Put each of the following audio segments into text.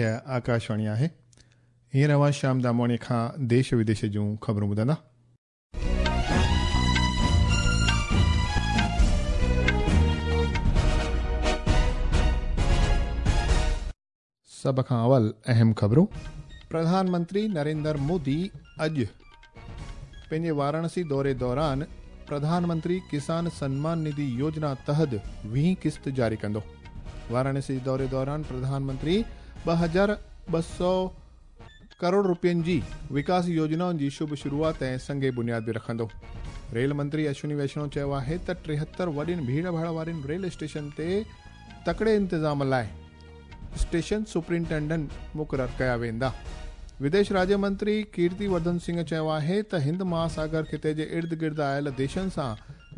هيء آڪاشواڻي آهي. هينئر اوهان شيام دامواڻيء کان ديش وديش جون خبرون ٻڌندا. سڀ کان اول اهم خبرون. پرڌان منتري نريندر مودي اڄ پنهنجي واراڻسي دوري دوران پرڌان منتري ڪسان سنمان نڌي يوجنا تحت ويهين قسط جاري ڪندو. واراڻسي دوري دوران پرڌان منتري 2200 ڪروڙ روپين جي وڪاس يوجنائن جي شڀ شروعات ۽ سنگ بنياد به رکندو. ريل منتري اشوني ويشنو چيو آهي ته 73 وڏين ڀيڙ ڀاڙ وارين ريل اسٽيشن تي تڪڙي انتظام لاء اسٽيشن سپرنٽينڊنٽ مقرر ڪيا ويندا. وديش راجيه منتري ڪيرتي ورڌن سنگهه چيو آهي ته هند مهاساگر خطي جي ارد گرد آيل ديشن سان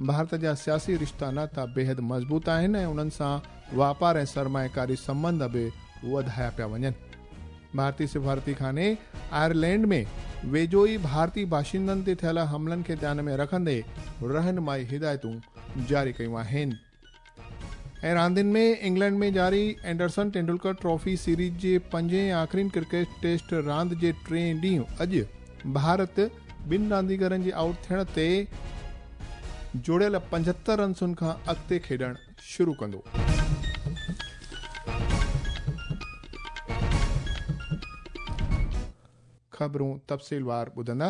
ڀارت جا سياسي رشتا ناتا بيحد مضبوط آهن ۽ انهن سان واپار ۽ سرمائيڪاري سنٻنڌ به وڌايا پيا وڃن. ڀارتي سفارتي خاني آئرلينڊ ۾ ويجهو ئي ڀارتي باشندن تي ٿيل حملن کي ڌيان ۾ رکندي رهنمائي هدايتون جاري ڪيون آهن. ۽ راندين ۾ انگلينڊ ۾ جاري اينڊرسن ٽينڊولڪر ٽرافي سيريز جي پنجين ۽ آخرين ڪرڪيٽ ٽيسٽ راند جي ٽئين ڏينهن اڄ ڀارت ٻن رانديگرن جي آئوٽ ٿيڻ تي جوڙيل 75 رنسن کان اڳتي کيڏڻ شروع ڪندو. خبرون تفصيلوار ٻڌندا.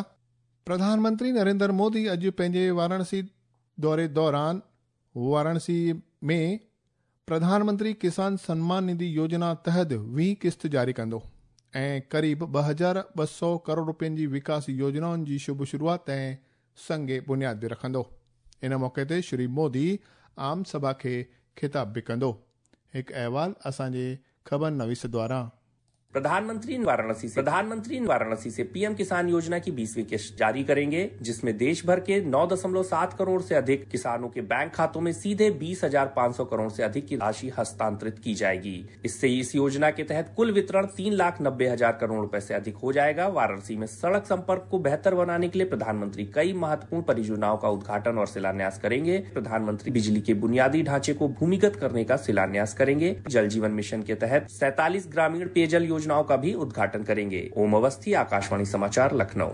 پرڌان منتري نريندر مودي اڄ پنهنجي واراڻسي دوري دوران واراڻسي ۾ پرڌان منتري ڪسان سنمان نڌي يوجنا تحت ويهين قسط جاري ڪندو ۽ قريب 2200 ڪروڙ روپين جي وڪاس يوجنائن جي شڀ شروعات ۽ سنگ بنياد به رکندو. ان موقعي تي شري مودي عام سڀا کي خطاب به ڪندو. هڪ احوال اسان جي خبر نويس دواران. प्रधानमंत्री वाराणसी से प्रधानमंत्री वाराणसी से पीएम किसान योजना की 20वीं किश्त जारी करेंगे, जिसमें देश भर के 9.7 करोड़ से अधिक किसानों के बैंक खातों में सीधे 20,500 करोड़ से अधिक की राशि हस्तांतरित की जाएगी। इससे इस योजना के तहत कुल वितरण 3,90,000 करोड़ रुपए से अधिक हो जाएगा। वाराणसी में सड़क संपर्क को बेहतर बनाने के लिए प्रधानमंत्री कई महत्वपूर्ण परियोजनाओं का उद्घाटन और शिलान्यास करेंगे। प्रधानमंत्री बिजली के बुनियादी ढांचे को भूमिगत करने का शिलान्यास करेंगे। जल जीवन मिशन के तहत 47 ग्रामीण पेयजल योजनाओं का भी उद्घाटन करेंगे। ओम अवस्थी, आकाशवाणी समाचार, लखनऊ।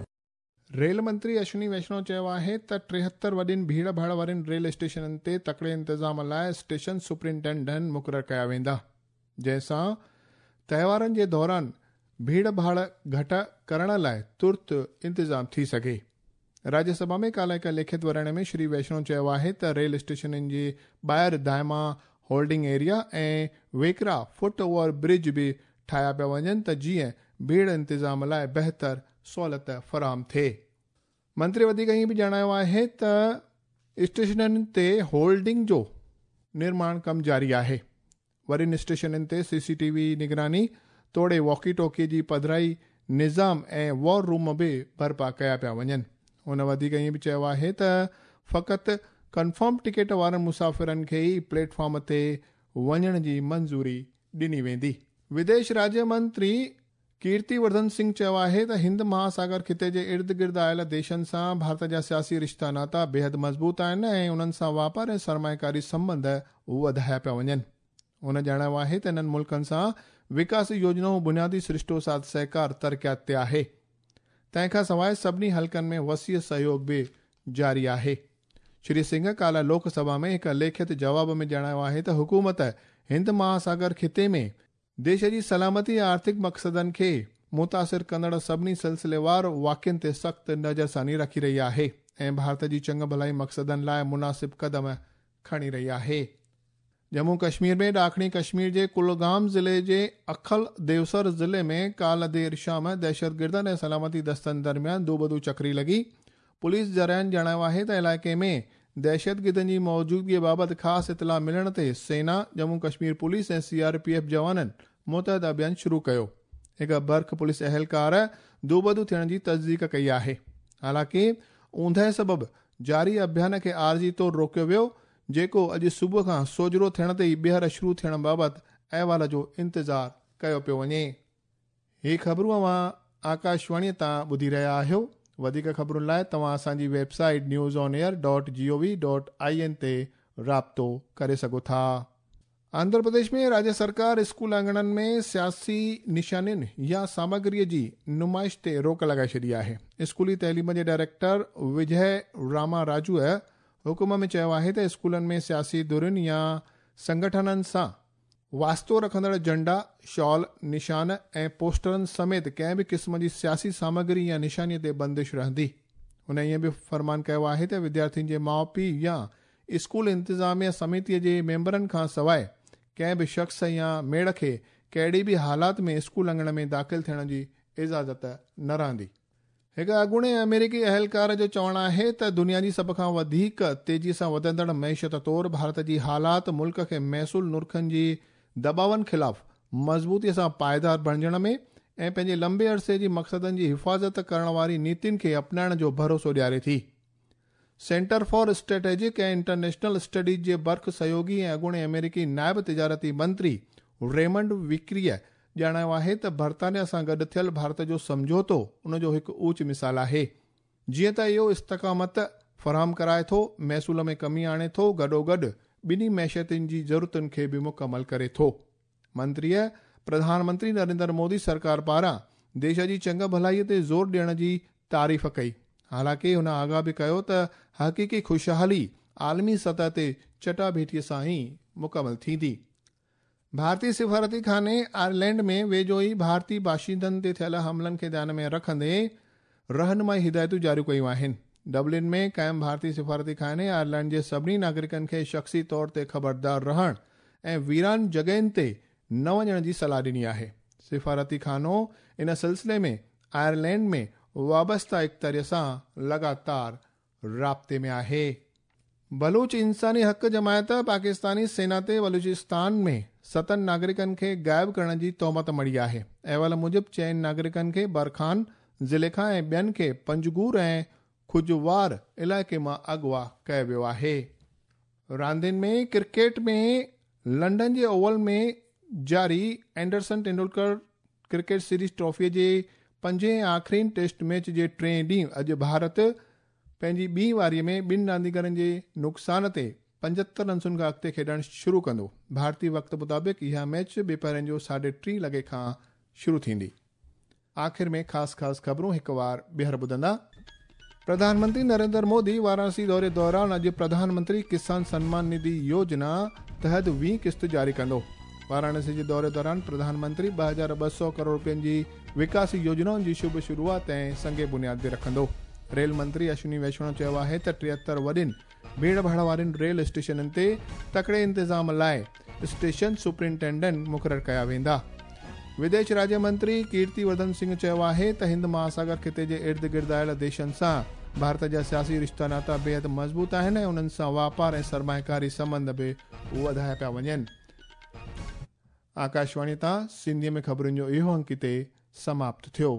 रेल मंत्री अश्विनी वैष्णव चयो आहे त 73 वॾियुनि भीड़ भाड़ वारनि रेल स्टेशननि ते तकड़े इंतज़ाम लाइ स्टेशन सुपरिंटेंडेंट मुक़ररु कया वेंदा, जंहिंसां तव्हारनि जे दौरान भीड़ भाड़ घटि करण लाइ तुर्त इंतज़ाम थी सघे। राज्यसभा में काल्हि हिकु लिखित वराणे में श्री वैष्णव चयो आहे त रेल स्टेशननि जे ॿाहिरि दायमा होल्डिंग एरिया ऐं वेकरा फुट ओवर ब्रिज बि ठाहिया पिया वञनि त जीअं भीड़ इंतज़ाम लाइ बहितर सहूलियत फराहम थिए। मंत्री वधीक ईअं बि ॼाणायो आहे त स्टेशननि ते होल्डिंग जो निर्माण कमु जारी आहे। वॾियुनि स्टेशननि ते सीसीटीवी निगरानी तोड़े वॉकी टॉकी जी पधराई निज़ाम ऐं वॉर रूम बि बर्पा कया पिया वञनि। हुन वधीक ईअं बि चयो आहे त फ़क़ति कन्फर्म टिकेट वारनि मुसाफ़िरनि खे ई प्लेटफॉर्म ते वञण जी मंज़ूरी ॾिनी वेंदी। विदेश राज्य मंत्री कीर्ति वर्धन सिंह चयो आहे त हिंद महासागर खिते जे इर्द गिर्द आयल देशनि सां भारत जा सियासी रिश्ता नाता बेहद मज़बूत आहिनि ऐं उन्हनि सां वापार ऐं सरमायकारी संबंध वधाया पिया वञनि। हुन ॼाणायो आहे त इन्हनि मुल्कनि सां विकास योजनाऊं बुनियादी सृष्टो साथ सहकार तरक़ियात ते आहे। तंहिंखां सवाइ सभिनी हलकनि में वसीअ सहयोग बि जारी आहे। श्री सिंह काल्हि लोकसभा में हिकु लिखित जवाब में ॼाणायो आहे त हुकूमत हिंद महासागर खिते में देश जी सलामती ऐं आर्थिक मक़सदनि खे मुतासिर कंदड़ सभिनी सिलसिलेवार वाक़ियुनि ते सख़्तु नज़रसानी रखी रही आहे ऐं भारत जी चङु भलाई मक़सदनि लाइ मुनासिब क़दम खणी रही आहे। जम्मू कश्मीर में ॾाखणी कश्मीर जे कुलगाम ज़िले जे अखल देवसर ज़िले में काल्हि देरि शाम दहशतगिर्दनि ऐं सलामती दस्तनि दरमियान दूबदू चकरी लॻी। पुलिस ज़राइनि ॼाणायो आहे त इलाइक़े में दहशतगिर्दनि जी मौजूदगीअ बाबति ख़ासि इतला मिलण ते सेना, जम्मू कश्मीर पुलिस ऐं सीआरपीएफ जवाननि मुतहद अभियान शुरू कयो। हिकु बर्ख पुलिस अहलकार दूबदू थियण जी तस्दीक कई आहे। हालांकि ऊंदह सबबि जारी अभियान खे आरज़ी तौरु रोकियो वियो, जेको अॼु सुबुह खां सोजरो थियण ते ई ॿीहर शुरू थियण बाबति अहवाल जो इंतज़ार कयो पियो वञे। ही ख़बरूं अव्हां आकाशवाणीअ तां ॿुधी रहिया आहियो। वधीक ख़बरुनि लाइ तव्हां असांजी वेबसाइट newsonair.gov.in ते राब्तो करे सघो था। آنڌرا پرديش ۾ راجيه سرڪار اسڪول اڱڻن ۾ سياسي نشانين يا سامگريء جي نمائش تي روڪ لڳائي ڇڏي آهي. اسڪولي تعليم جي ڊائريڪٽر وجئه راما راجوء حڪم ۾ چيو آهي ته اسڪولن ۾ سياسي ڌرين يا سنگٺنن سان واسطو رکندڙ جهنڊا، شال، نشان ۽ پوسٽرن سميت ڪنهن به قسم جي سياسي سامگري يا نشانيء تي بندش رهندي. هن ائين به فرمان ڪيو آهي ته وديارٿين جي ماء پيء يا اسڪول انتظاميه سميتيء جي ميمبرن کان سواء ڪنهن به شخص يا ميڙ کي ڪهڙي به حالات ۾ اسڪول اڱڻ ۾ داخل ٿيڻ جي اجازت نه رهندي. هڪ اڳوڻي آمريڪي اهلڪار جو چوڻ آهي ته دنيا جي سڀ کان وڌيڪ تيزي سان وڌندڙ معيشت طور ڀارت جي حالات ملڪ کي محصول نرخن جي دٻاون خلاف مضبوطي سان پائيدار بڻجڻ ۾ ۽ پنهنجي لنبي عرصي جي مقصدن جي حفاظت ڪرڻ واري نيتين کي اپنائڻ جو ڀروسو ڏياري ٿي. Centre for strategic ۽ international studies جي برک سهيوڳي ۽ اڳوڻي آمريڪي نائب تجارتي منتري ريمنڊ وڪريء ڄاڻايو آهي ته برطانيا سان گڏ ٿيل ڀارت جو سمجهوتو ان جو هڪ اوچ مثال آهي. جيئن ته اهو استقامت فراهم ڪرائي ٿو، محصول ۾ ڪمي آڻي ٿو گڏوگڏ ٻنهي معيشتن جي ضرورتن کي به مڪمل ڪري ٿو. منتريء پرڌان منتري نريندر مودي سرڪار پاران ديش جي چڱ ڀلائيء تي زور ڏيڻ جي تعريف ڪئي. حالانڪه هن آگاهه به ڪيو ته حقيقي خوشحالي عالمي سطح تي چٽاڀيٽيء سان ئي مڪمل ٿيندي. ڀارتي سفارتي خاني آئرلينڊ ۾ ويجهو ئي ڀارتي باشندن تي ٿيل حملن کي ڌيان ۾ رکندي رهنمائي هدايتون جاري ڪيون آهن. ڊبلن ۾ قائم ڀارتي سفارتي خاني آئرلينڊ جي سڀني ناگرڪن کي شخصي طور تي خبردار رهڻ ۽ ويران جڳهين تي نه وڃڻ جي صلاح ڏني آهي. سفارتي خانو ان سلسلي ۾ آئرلينڊ ۾ وابسته اختياري سان لڳاتار رابطي ۾ آهي. بلوچ انساني حق جماعت پاڪستاني سينا تي بلوچستان ۾ ستن ناگرڪن کي غائب ڪرڻ جي تهمت مڙهي آهي. احوال موجب چئن ناگرڪن کي برخان ضلعي کان ۽ ٻين کي پنجگور ۽ کجوار علائقي مان اغوا ڪيو ويو آهي. راندين ۾ ڪرڪيٽ ۾ لنڊن جي اوول ۾ جاري Anderson Tendulkar cricket series trophy جي پنجين ۽ آخرين ٽيسٽ ميچ جي ٽئين ڏينهن اڄ ڀارت پنهنجي ٻي واري ۾ ٻن رانديگرن جي نقصان تي 75 رنسن کان اڳتي کيڏڻ شروع ڪندو. ڀارتي وقت مطابق اها ميچ ٻپهرين جو 3:30 لڳي کان شروع ٿيندي. آخر ۾ خاص خاص خبرون هڪ وار ٻيهر ٻڌندا. پرڌان منتري نريندر مودي وارانسي دوري دوران اڄ پرڌان منتري ڪسان سنمان نڌي يوجنا تحت ويهين قسط جاري ڪندو. وارانسي جي دوري دوران پرڌان منتري 2200 ڪروڙ رپين جي وڪاسي يوجنائن جي شڀ شروعات ۽ سنگ بنياد به رکندو. ريل منتري اشوني ويشڻو چيو آهي ته 73 وڏين ڀيڙ ڀاڙ وارين ريل اسٽيشنن تي تڪڙي انتظام لاء اسٽيشن سپرنٽينڊنٽ مقرر ڪيا ويندا. وديش راجيه منتري ڪيرتي ورڌن سنگهه چيو آهي ته هند مهاساگر خطي جي ارد گرد آيل ديشن سان ڀارت جا سياسي رشتا ناتا بيحد مضبوط آهن ۽ انهن سان واپار ۽ سرمائيڪاري سنٻنڌ به وڌايا پيا وڃن. آڪاشواڻي تان سنڌيء ۾ خبرن جو اهو انڪ هتي سماپت ٿيو.